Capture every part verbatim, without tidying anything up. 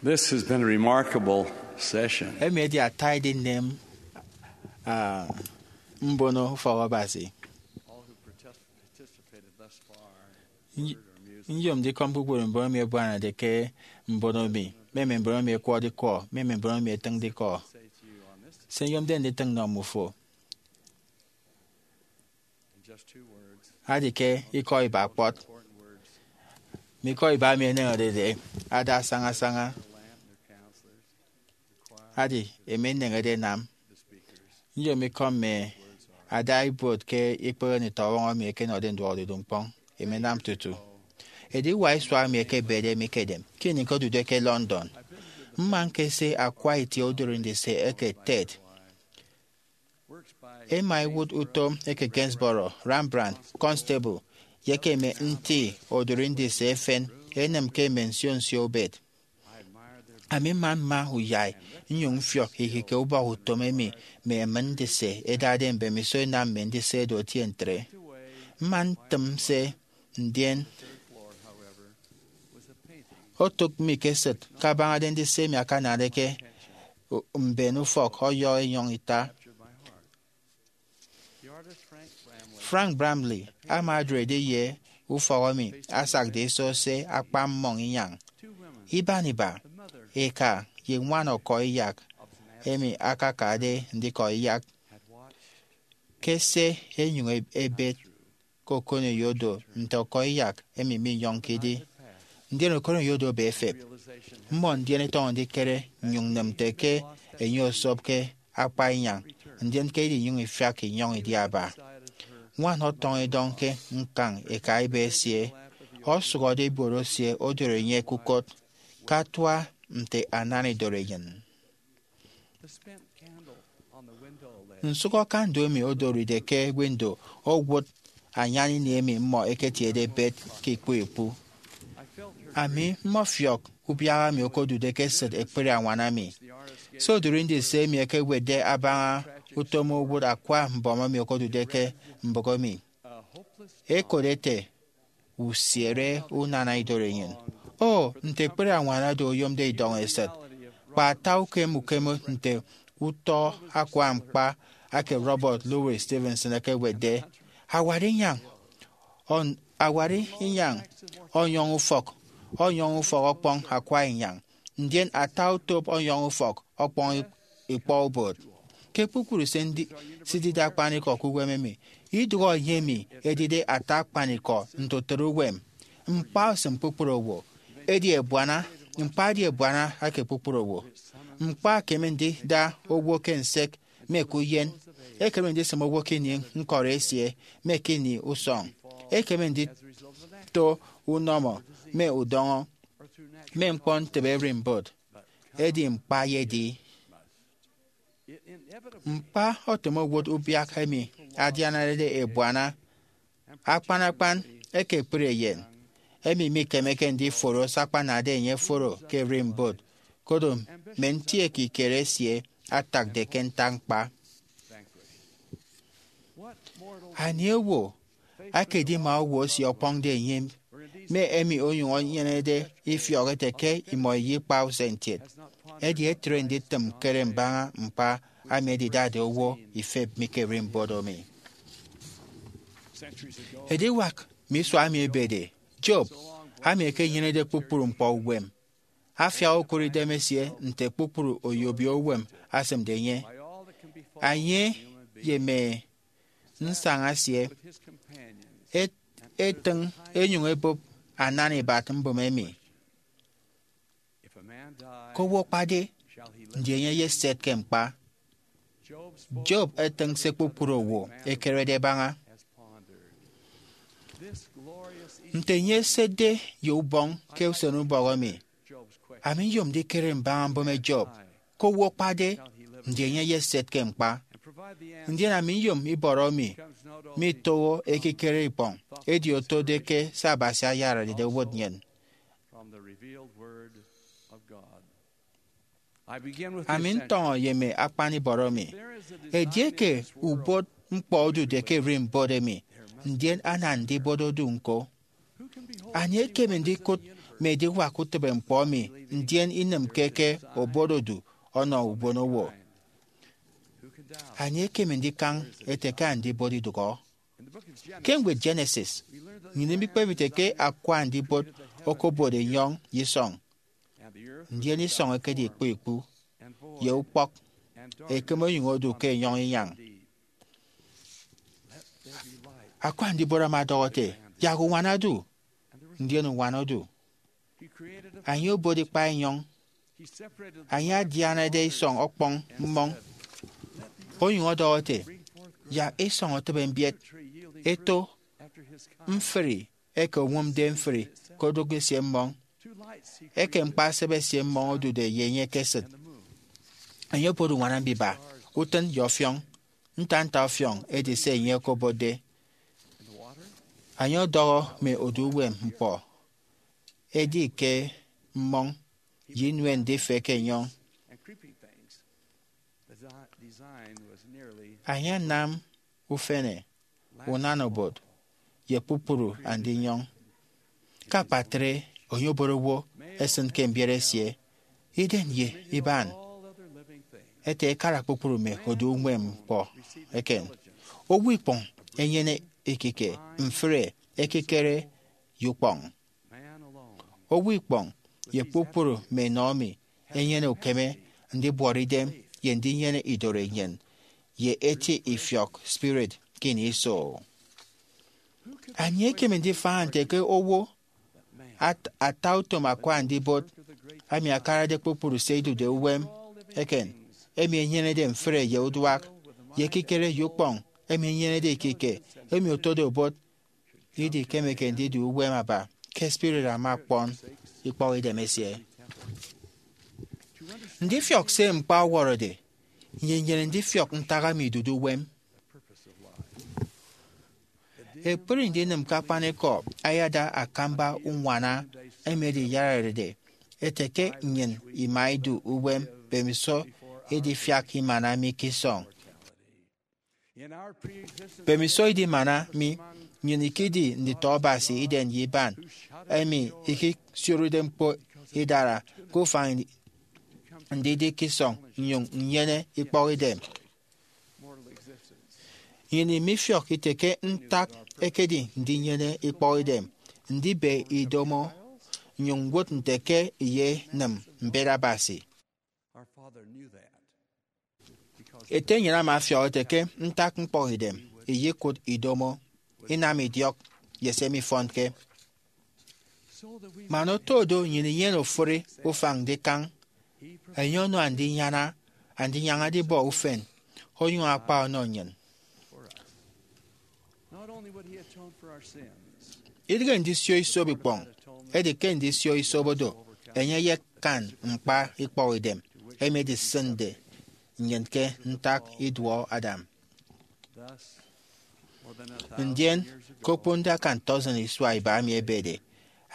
This has been a remarkable session. Emi edi ata edinem, ah, mbono ufọk Abasi. All who partic- participated thus far, Ny- word or music, Nyom ndikọm kpukpru mbon emi ebuanade ke mbono mi, mme mme mbon emi ẹkwọde ikọ, mme mme mbon emi ẹtịñde ikọ. Say to you on this Se nyomde nditịñ nnọ mmufo. Adi ke ikọ iba kpọt, mme ikọ iba emi eneñerede ada sañasaña, adi emi eneñede enam. Nyom ikọ mme ada ibuot ke ikpehe nditọwọñ emi ẹkenọde nduọk odudu ñkpọñ, emi ẹnam tutu ediwak isua emi ẹkebede mi ke edem ke ini ñkodude ke London. Mma ñkese akwa itie odori ndise eke Tate. Ema ewụt utom eke Gainsborough, Rembrandt, Constable, ye ke mme nti odori ndise efen enịm ke mme nsio nsio ubet. Ami mma mma uyai nnyụñ mfiọk ihike ubọk utom emi mme emịn ndise ẹdade mbemiso ẹnam mme ndise ẹdu ẹtie ntre. Mma ntịm se, ndien otụk mi ke esịt kabañade ndise emi akanade ke mben ufọk ọyọhọ enyọñ ita. Frank Bramley ama odụrede ye ufọk emi asakde iso se akpa mmọñ inyañ. Iban iba, eka ye ñwan ọkọiyak emi akakade ndikọiyak, ke se enyụñ ebet ke okoneyodo nte ọkọiyak emi minyọñke idi. Ndien okoneyodo ebe efep. Mmọ ndien ẹtọñọ ndikere nnyụñ nnịm nte ke enye osopke akpa inyañ, ndien ke edinyụñ ifiak inyọñ idi aba. Ñwan ọtọñ idọñ ke ñkañ eka iba esie, ọsụhọde ibuot esie odoro enye ke ukot, ke atua nte anana idoro enyịn. Nsụhọ kandu emi odoride ke windo owụt anyan ini emi mmọ ẹketiede ẹbet ke ikpu ikpu. Ami mmọfiọk ubiak emi okodude ke esịt ekpri añwan ami. Se odori ndise emi ekewetde abaña utom owụt akwa mbọm emi okodude ke mbụk emi. Ekot ete, Usiere unana idorenyin. O, nte ekpri añwan oro oyomde idọñ esịt! Kpa ata ukem ukem nte utọ akwa ñkpa eke Robert Louis Stevenson ekewetde, Awari inyañ, ọn- awari inyañ ọnyọñ ufọk, ọnyọñ ufọk ọkpọñ akwa inyañ, ndien ata otop ọnyọñ ufọk ọkpọñ ikpọ ubot. Ke kpukpru se ndi- sidide akpanikọ ke uwem emi, idụhe enye emi edide ata akpanikọ nte utịt uwem. Ñkpa osịm kpukpru owo, edi ebuana, ñkpa edi ebuana eke kpukpru owo. Ñkpa ekeme ndida owo ke nsek me ke uyen, ekeme ndisịm owo ke ini ñkọri esie me ke ini usọñ, ekeme ndito unọmọ me udọñọ, me ñkpọ ntịbe ererimbot, edi ñkpa eyedi. Ñkpa otịm owot ubiak emi adianade ebuana, akpan akpan eke ekpri eyen, emi mikemeke ndiforo se akpanade enye foro ke ererimbot, koro mme nti ekikere esie atakde ke ntak ñkpa. Anie owo akedima owo esie ọkpọñde enye, me emi onyụñ enyenede ifiọk ete ke imọ iyikpa usen kiet? Edi etre nditịm ñkere mbaña ñkpa emi edidade owo ifep mi ke ererimbot emi. Ediwak mme isua emi ebede, Job, ami ekenyenede kpukpru ñkpọ uwem, afiak okụre idem esie nte kpukpru oyobio uwem asịmde enye. Enye ye mme nsaña esie et- etịñ enyụñ ebụp anana ibat mbụme emi. Ke owo akpade, ndi enye eyeset ke ñkpa? Job etịñ se kpukpru owo ẹkerede ẹbaña. Nte enye esetde ye ubọñ ke usenubọk emi, ami nyom ndikere mbaña mbụme Job. Ke owo akpade, ndi enye eyeset ke ñkpa? Ndien ami nyom ibọrọ mi mitoho ekikere ikpọñ, edi otode ke se Abasi ayararede owụt nnyịn. Ami ntọñọ ye mme akpan ibọrọ mi. Edieke ubot ñkpọ odude ke ererimbot emi, ndien ana ndibot odu ñko. Anie ekeme ndikụt mme ediwak utịbe ñkpọ emi, ndien inịmke ke obot odu ọnọ ubonowo. Anie ekeme ndikañ ete ke andibot idụhọ? Ke ñwed Genesis, nnyịn imikpep ite ke akwa andibot okobot enyọñ ye isọñ, ndien isọñ ekedi ikpu ikpu, ye ukpọk, ekem onyụñ odu ke enyọñ inyañ. Akwa andibot ama ọdọhọ ete, yak uñwana odu, ndien uñwana odu. Enye obot ikpa enyọñ, enye adianade isọñ ọkpọñ mmọñ, onyụñ ọdọhọ ete, yak isọñ otịbe mbiet, eto mfri eke oñwụmde mfri ke odụk esie mmọñ, eke ñkpa-esịt esie mmọñ odude ye enye ke esịt. Enye obot uñwana mbiba, utịn ye ọfiọñ, nta nta ọfiọñ edi se enye okobotde. Enye ọdọhọ mme odu uwem ñkpọ, edi ke mmọñ ye inuen ndifek enyọñ. Enye anam ufene, unana obot, ye kpukpru andinyọñ. Ke akpatre, enye obot owo esịn ke mbiet esie, iden ye iban, ete ekara kpukpru mme odu uñwem ñkpọ eken. Owo ikpọñ enyene ekike, mfre, ekikere, ye ukpọñ. Owo ikpọñ ye kpukpru mme enọ emi enyene ukeme ndibuọt idem ye ndinyene idoro enyịn ye eti ifiọk spirit ke ini iso. Anie ekeme ndifaña nte ke owo at- ata utom akwa andibot emi akarade kpukpru se idude uwem eken, emi enyenede mfre ye uduak, ye ekikere ye ukpọñ, emi enyenede ikike, emi otode obot, idikemeke ndidu uwem aba ke spirit ama ọkpọn ikpọkidem esie? Ndifiọk se ñkpa ọwọrọde, nnyịn inyene ndifiọk ntak emi idude uwem. Ekpri ndinịm ke akpanikọ ayada akamba uñwana emi ediyararede ete ke nnyịn ima idu uwem mbemiso idifiak imana mi ke isọñ. Mbemiso idimana mi, nnyịn ikedi nditọ Abasi iden ye iban, emi ikisioride ñkpo idara ke ufañ ndidi ke isọñ nnyụñ nnyene ikpọkidem. Nnyịn imifiọk ite ke ntak ekedi ndinyene ikpọkidem, ndibe idomo, nnyụñ ñwụt nte ke iyenịm mbet Abasi. Ete nnyịn ama afiọk ete ke ntak ñkpọkidem iyekụt idomo, inam idiọk, ye se mifọnke. Man oto do nnyịn inyene ofụri ufañ ndikañ, enye ọnọ andinyaña, andinyaña edibọ ufen, onyụñ akpa ọnọ nnyịn. Idịghe ndisio isop ikpọñ, edi ke ndisio isop odo, enye eyekan ñkpa ikpọkidem emi edisịnde nnyịn ke ntak iduọ Adam. Ndien, ke okponde akan tọsin isua iba emi ebede,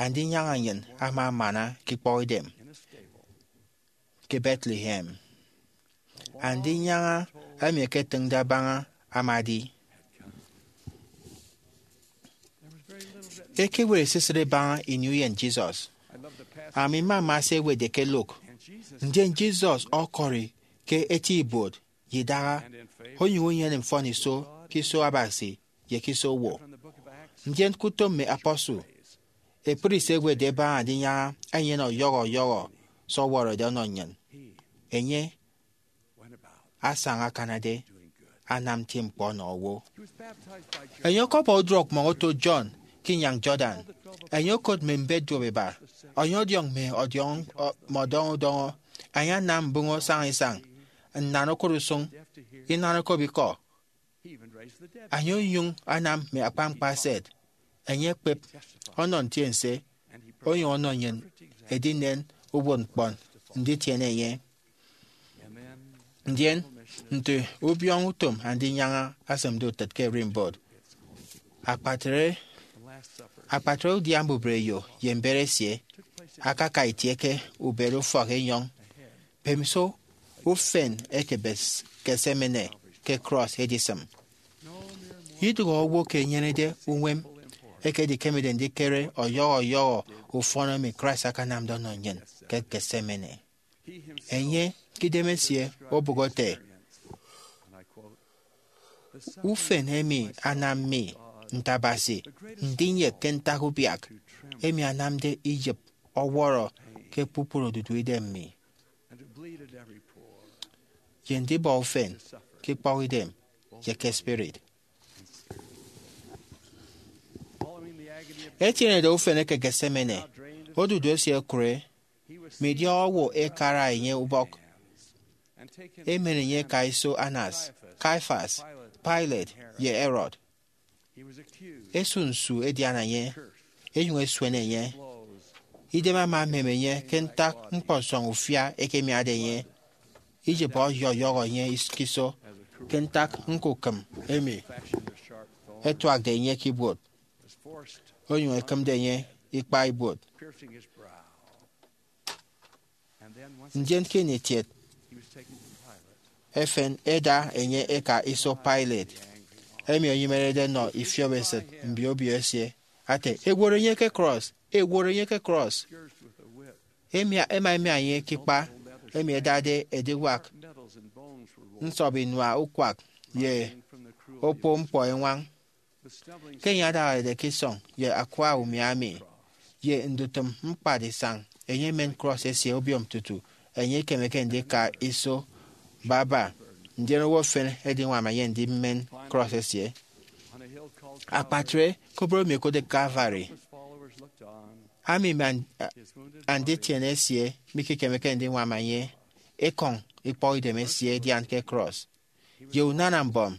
andinyaña nnyịn ama amana ke ikpọkidem ke Bethlehem. Andinyaña emi ẹketịñde abaña ama edi. Ekewet esisịt ibaña ini uyen Jesus. Ami mmama se ẹwetde ke Luke. Ndien Jesus ọkọri ke eti ibuot ye idaha, onyụñ enyene mfọniso ke iso Abasi ye ke iso owo. Ndien ke Utom Mme Apostle, ekpri se ẹwetde ẹbaña andinyaña enyene ọyọhọ ọyọhọ se ọwọrọde ọnọ nnyịn. Enye asaña akanade anam nti ñkpọ ọnọ owo. Enye ọkọbọ uduọk mmọñ oto John ke inyañ Jordan. Enye okot mme mbet duop iba. Enye ọdiọñ mme ọdiọñ, mme ọdọñọ udọñọ. Enye anam mbụñọ saña isañ, nnan okụt usụñ, inan okop ikọ. Enye onyụñ anam mme akpañkpa eset. Enye ekpep ọnọ ntiense, onyụñ ọnọ nnyịn edinen uwụtñkpọ nditiene enye. Ndien, nte ubiọñọ utom andinyaña asịmde utịt ke ererimbot, akpatre, akpatre udia mbubreyo ye mbet esie akaka itie ke ubet ufọk enyọñ, mbemiso ufen eke Gethsemane ke krọs edisịm. Idụhe owo ke enyenede uñwem Eke edikemede ndikere ọyọhọ ọyọhọ ufọn emi Christ akanamde ọnọ nnyịn ke Gethsemane. Enye ke idemesie obụk ete, "Ufen emi anam mi, nte Abasi, ndinyek ke ntak ubiak emi anamde iyịp ọwọrọ ke kpukpru odudu idem mi, ye ndibọ ufen ke ikpọkidem ye ke spirit." Etienede ufen eke Gethsemane, odudu esie okụre, midiọk owo ẹkara enye ubọk, emen enye ẹka iso Annas, Caiaphas, Pilate, ye Herod. Ẹsu nsu ẹdiana enye, ẹnyụñ ẹsuene enye. Idem ama emem enye ke ntak ñkpọsọñ ufia ẹkemiade enye. Iyịp ọyọyọhọ enye ke iso ke ntak ñkukịm emi ẹtuakde enye ke ibuot, onyụñ ekịmde enye ikpa ibuot. Ndien ke ini etiet efen, ẹda enye ẹka iso Pilate, emi enyimerede nọ ifiop esịt mbio obio esie, ate, "Ẹworo enye ke krọs! Ẹworo enye ke krọs!" Emi ẹma ẹmia enye ke ikpa emi ẹdade ediwak nsọp inua ukwak ye okpo ñkpọ eñwañ. Ke enye adañarede ke isọñ ye akwa umia emi, ye ndutịm ñkpad isañ, enye emen krọs esie obiom tutu enye ikemeke ndika iso baba, ndien owo efen ẹdiñwam enye ndimen krọs esie. Akpatre koboro emi ẹkotde Calvary, ami mme and-, anditiene esie mikekemeke ndiñwam enye, ekọñ ikpọkidem esie ẹdian ke krọs. Ye unana mbọm,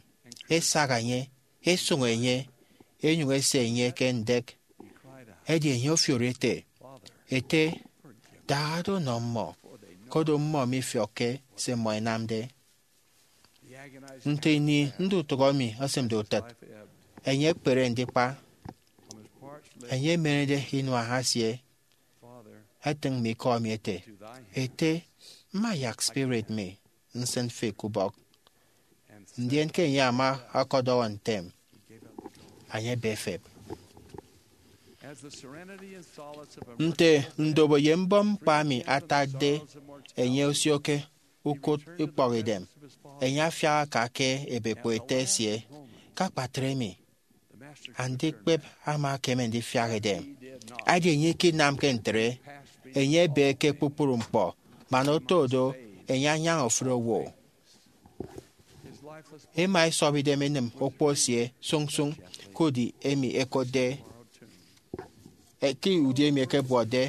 ẹsaha enye, ẹsụñ enye, ẹnyụñ ẹse enye ke ndek. Edi enye ofiori ete, "Ete, dahado nọ mmọ, koro mmọ mifiọkke se mmọ ẹnamde." Nte ini ndutụhọ emi esịmde utịt, enye ekpere ndikpa. Enye emenede inua esie, etịñ mme ikọ emi ete, "Ete, mma yak spirit mi nsịn fi ke ubọk." Ndien ke enye ama ọkọdọhọ ntem, enye ebe efep. Nte ndobo ye mbọm ñkpa emi atakde enye osio ke ukụt ikpọkidem, enye afiak aka ke ebekpo ete esie, "Ke akpatre mi, andikpep ama ekeme ndifiak edem." Edi enye ikinamke ntre, enye ebe ke kpukpru ñkpọ, man oto do, enye anyaña ofụri owo. Ema esọp idem enịm okpo esie sụñsụñ ke udi emi ẹkotde, eh, ke udi emi ẹkebuọtde.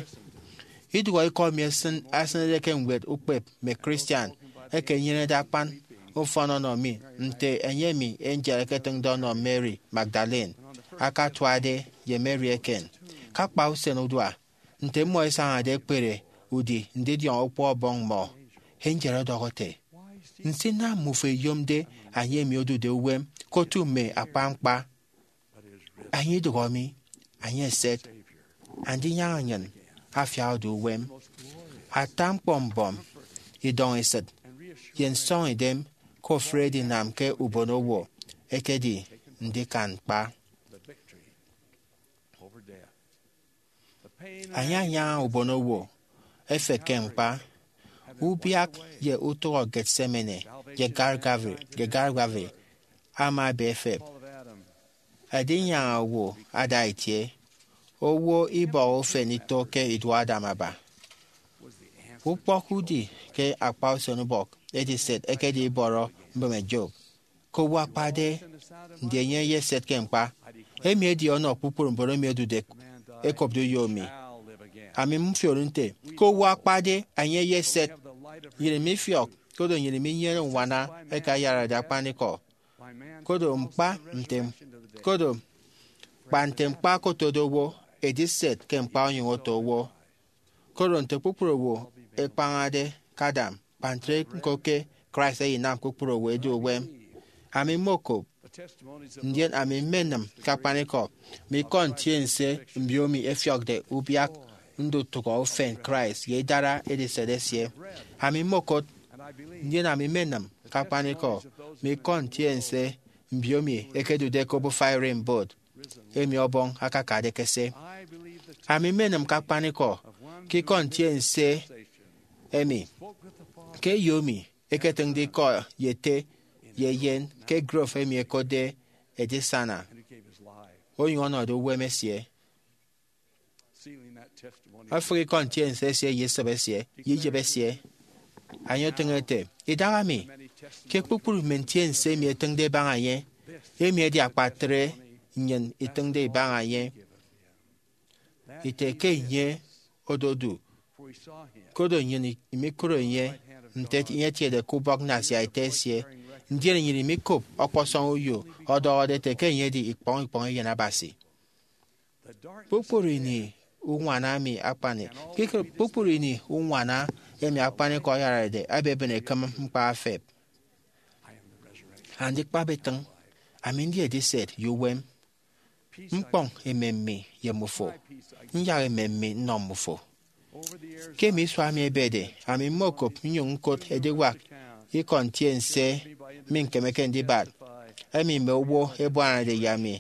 Idụhọ ikọ emi esịn-, esịnede ke ñwed ukpep mme Christian eke enyenede akpan ufọn ọnọ mi, nte enye emi angel eketịñde ọnọ Mary Magdalene akatuade ye Mary eken. Ke akpa usen udua, nte mmọ ẹsañade ẹkpere udi ndidiọñ okpo ọbọñ mmọ, angel ọdọhọ ete, "Nsinam mmufo iyomde enye emi odude uwem ke otu mme akpa ñkpa? Enye idụhọ mi, enye eset, andinyaña nnyịn afiak odu uwem." Ata ñkpọ mbọm, idọñesịt, ye nsọñidem ke ofụri edinam ke ubonowo ekedi ndikan ñkpa. Enye anyaña ubonowo efep ke ñkpa. Ubiak ye utụhọ Gethsemane ye Calvary, ye Calvary ama ebe efep. Edinyaña owo ada itie. Owo ibọhọ ufen ito ke iduọ Adam aba. Ukpọk udi ke akpa usenubọk ediset ekedi ibọrọ mbịme Job. Ke owo akpade, ndi enye eyeset ke ñkpa? Emi edi ọnọ kpukpru mbon emi ẹdude ẹkopde uyo mi. Ami mfiori nte, ke owo akpade, enye eyeset. Nnyịn mifiọk, koro nnyịn minyene uñwana eke ayarade akpanikọ. Koro ñkpa nte, koro kpa nte ñkpa okotode owo, ediset ke ñkpa onyụñ oto owo. Koro nte kpukpru owo ẹkpañade ke Adam, kpa ntre ñko ke Christ eyinam kpukpru owo ẹdu uwem. Ami mmokop, ndien ami mmenịm ke akpanikọ mme ikọ ntiense mbiomi ẹfiọkde ubiak ndutụhọ ufen Christ ye idara ediset esie. Ami mmokot, ndien ami mmenịm ke akpanikọ mme ikọ ntiense mbiomi ẹkedude ke obufa ererimbot. emi Ọbọñ akakade ke se. Ami mmenịm ke akpanikọ ke ikọ ntiense emi, ke eyo emi eketịñde ikọ ye ete ye eyen ke grove emi ẹkotde Edisana, onyụñ ọnọde uwem esie. Efịk ikọ ntiense esie ye esop esie ye iyịp esie. Enye otịñ ete, idahaemi, ke kpukpru mme ntiense emi ẹtịñde ẹbaña enye, emi edi akpatre nnyịn itịñde ibaña enye, ite ke enye ododu, koro nnyịn imikụre enye nte enye etiede ke ubọk nnasia ete esie, ndien nnyịn imikop ọkpọsọñ uyo ọdọhọde ete ke enye edi ikpọñ ikpọñ Eyen Abasi. Kpukpru ini uñwana mi akpani, kpukpru ini uñwana emi akpanikọ ọyararede ẹbebịn ekịm ñkpa efep. Andikpep itịñ, ami ndi ediset ye uwem, ñkpọñ emem mi ye mmufo, nyak emem mi nnọ mmufo. Ke mme isua emi ẹbede, ami mmokop nnyụñ ñkot ediwak ikọ ntiense mi ñkemeke ndibat, emi mme owo ẹbuanade ye ami,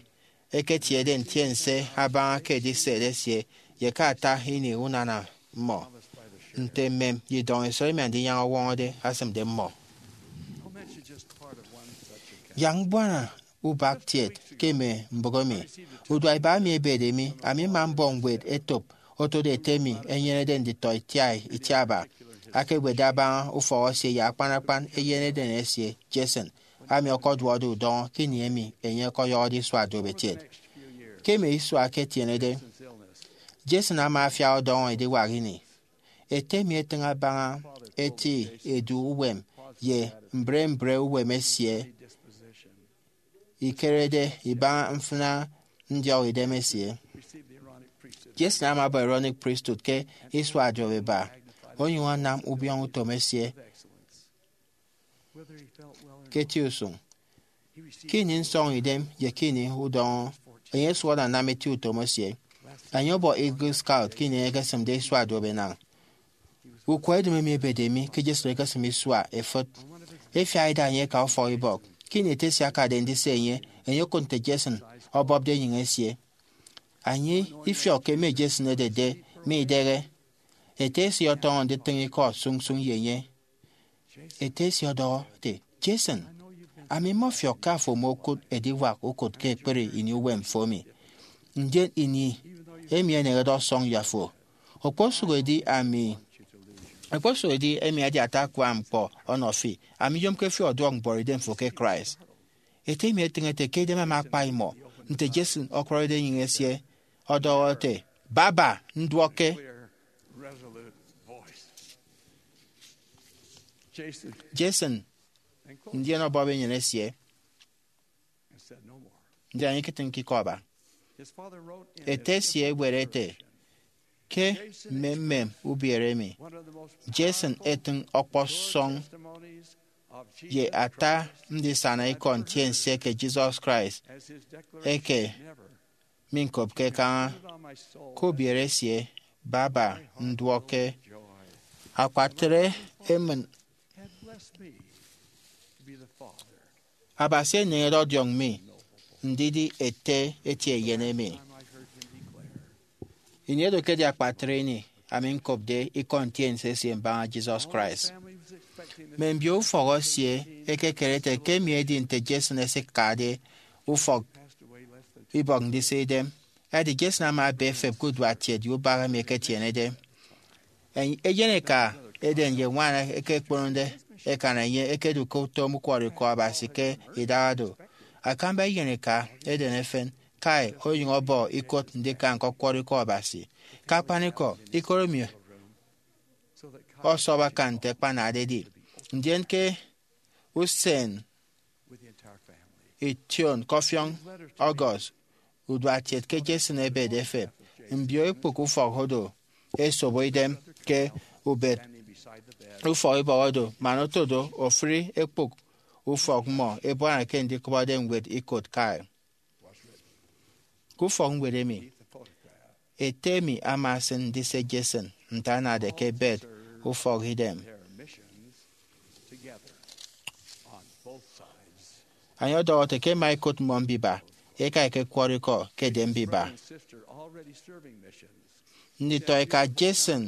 eketiede ntiense abaña ke ediset esie ye ke ata ini unana mmọ, nte mmem ye idọñ esop emi Andinyaña Ọwọñọde asịmde mmọ. Yak mbuana ubak kiet ke mme mbụk emi. Uduak iba emi ebede mi, ami mma mbọ ñwed etop otode ete emi enyenede nditọ itiaitiaba, akewetde abaña ufọk esie ye akpan akpan eyen eden esie, Jason, ami ọkọduọkde udọñọ ke ini emi enye ọkọyọhọde isua duop etiet. Ke mme isua ẹketienede, Jason ama afiak ọdọñọ ediwak ini. Ete mi etịñ abaña eti edu uwem ye mbre mbre uwem esie, ikerede ibaña mfịna ndiọk idem esie. Jason ama abọ Aaronic Priesthood ke isua duop iba, onyụñ anam ubiọñọ utom esie ke eti usụñ. Ke ini nsọñidem ye ke ini udọñọ, enye osụhọde anam eti utom esie. Enye ọbọ Eagle Scout ke ini enye ekesịmde isua duop enañ. Ukwọ edịm emi ebede mi ke Jason ekesịm isua efịt. Efiak ida enye eka ufọkibọk. Ke ini ete esie akade ndise enye, enye okụt nte Jason ọbọpde enyịñ esie. Enye ifiọk ke mme Jason ẹdede mme idịghe. Ete esie ọtọñọ nditịñ ikọ sụñsụñ ye enye. Ete esie ọdọhọ ete, Jason, ami mmọfiọk ke afo omokụt ediwak ukụt ke ekpri ini uwem fo emi. Ndien ini emi eneñede ọsọñ ye afo. Okposụk edi ami, okposụk edi emi edi ata akua ñkpọ ọnọ fi, ami nyomke fi ọduọk mbuọtidem fo ke Christ. Ete emi etịñ ete ke idem ama akpa imọ nte Jason ọkwọrọde enyịñ esie, ọdọhọ ete, baba, nduọkke. Jason ndien ọbọp enyịn esie, ndien enye iketịñke ikọ aba. Ete esie ewet ete, ke mmemmem ubiere emi, Jason etịñ ọkpọsọñ ye ata ndisana ikọ ntiense ke Jesus Christ eke miñkopke kaña. Ke ubiere esie, baba, nduọkke. Akpatre emịn Abasi eneñede ọdiọñ mi ndidi ete eti eyen emi. Ini edo ke edi akpatre ini ami ñkopde ikọ ntiense esie mbaña Jesus Christ. Mme mbio ufọk esie ẹkekere ete ke emi edi nte Jason esikade ufọk ibọk ndise idem. Edi Jason ama ebe efep ke uduak kiet ye ubak emi eketienede. Eyen eka eden ye ñwan eke ẹkponode ẹkan enye ẹkedu ke utom ukwọrọikọ Abasi ke idaha do. Akamba eyen eka eden efen, Kyle, onyụñ ọbọ ikot ndika ñkọkwọrọ ikọ Abasi. Ke akpanikọ, ikot emi ọsọp akan nte akpanade edi. Ndien ke usen ition ke ọfiọñ August, uduak kiet ke Jason ebede efep, mbio ekpụk ufọk odo ẹsobo idem ke ubet ufọkibọk odo man oto do ofụri ekpụk ufọk mmọ ebuana ke ndikụbọde ñwed ikot Kyle. Ke ufọkñwed emi, ete mi ama esịn ndise Jason nte anade ke ebet ufọkidem. Enye ọdọhọ ete ke ẹma ẹkot mmọ mbiba, eka ekekwọrọ ikọ ke edem mbiba. Nditọeka Jason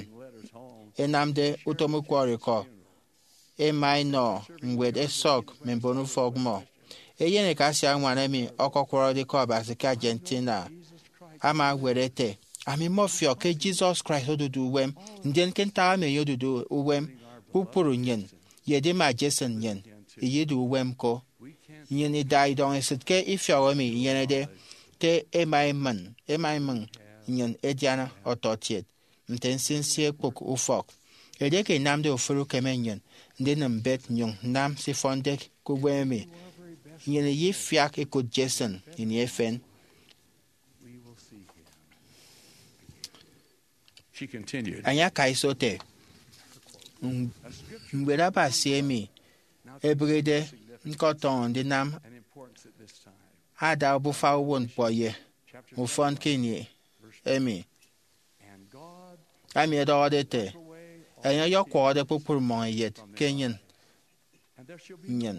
ẹnamde utom ukwọrọikọ ẹma ẹnọ ñwed ẹsọk mme mbonufọk mmọ. Eyen eka asiañwan emi ọkọkwọrọde Ikọ Abasi ke Argentina ama ewet ete, "Ami mmọfiọk ke Jesus Christ odude uwem, ndien ke ntak emi enye odude uwem, kpukpru nnyịn, ye edima Jason nnyịn, iyidu uwem ko. Nnyịn ida idọñ esịt ke ifiọk emi inyenede ke ẹma ẹmịñ, ẹma ẹmịñ nnyịn ẹdiana ọtọkiet nte nsinsi ekpụk ufọk. Edieke inamde ofụri ukeme nnyịn ndinịm mbet nnyụñ nnam se ifọnde ke uwem emi, nnyịn iyefiak ikụt Jason ini efen." Enye akaiso ete, "Ñwed Abasi emi ebịghide ñkọtọñọ ndinam ada obufa uwụtñkpọ ye ufọn ke ini emi, ami ẹdọhọde ete, enye ọyọkwọhọde kpukpru mmọñ ẹyet ke enyịn nnyịn.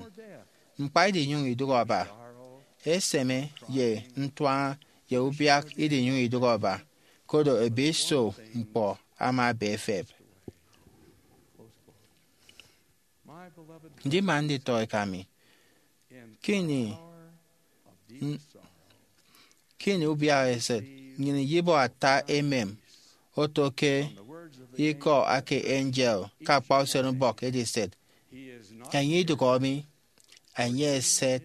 Ñkpa idinyụñ idụk ọba, eseme ye ntuaña ye ubiak idinyụñ idụk ọba, koro ebiso ñkpọ ama ebe efep." Ndima nditọeka mi, ke ini, ke ini ubiak esịt, nnyịn iyibọ ata emem oto ke ikọ ake angel ke akpa usenubọk ediset, "Enye idụhọ mi, enye eset."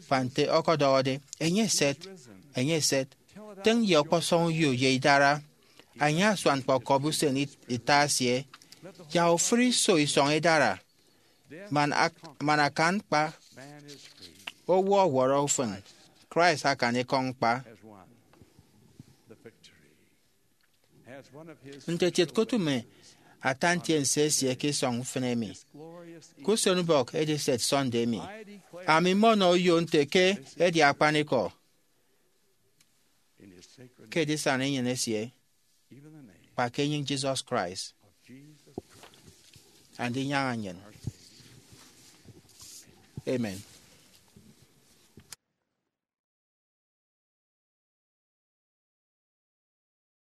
Kpa nte ọkọdọhọde, "Enye eset, enye eset." Tịñ ye ọkpọsọñ uyo ye idara. Enye asuan kpọkọbi usen it- ita esie. Yak ofụri iso isọñ idara. Man, ak- man akan ñkpa owo ọwọrọ ufịn, Christ akan ikọñ ñkpa. Nte kiet, kotụme ata ntiense esie ke isọñ ufịn emi. Ke usenubọk ediset Sunday emi, ami mmọnọ uyo nte ke edi akpanikọ ke edisana enyịn esie, kpa ke enyịñ Jesus Christ, Andinyaña nnyịn. Amen.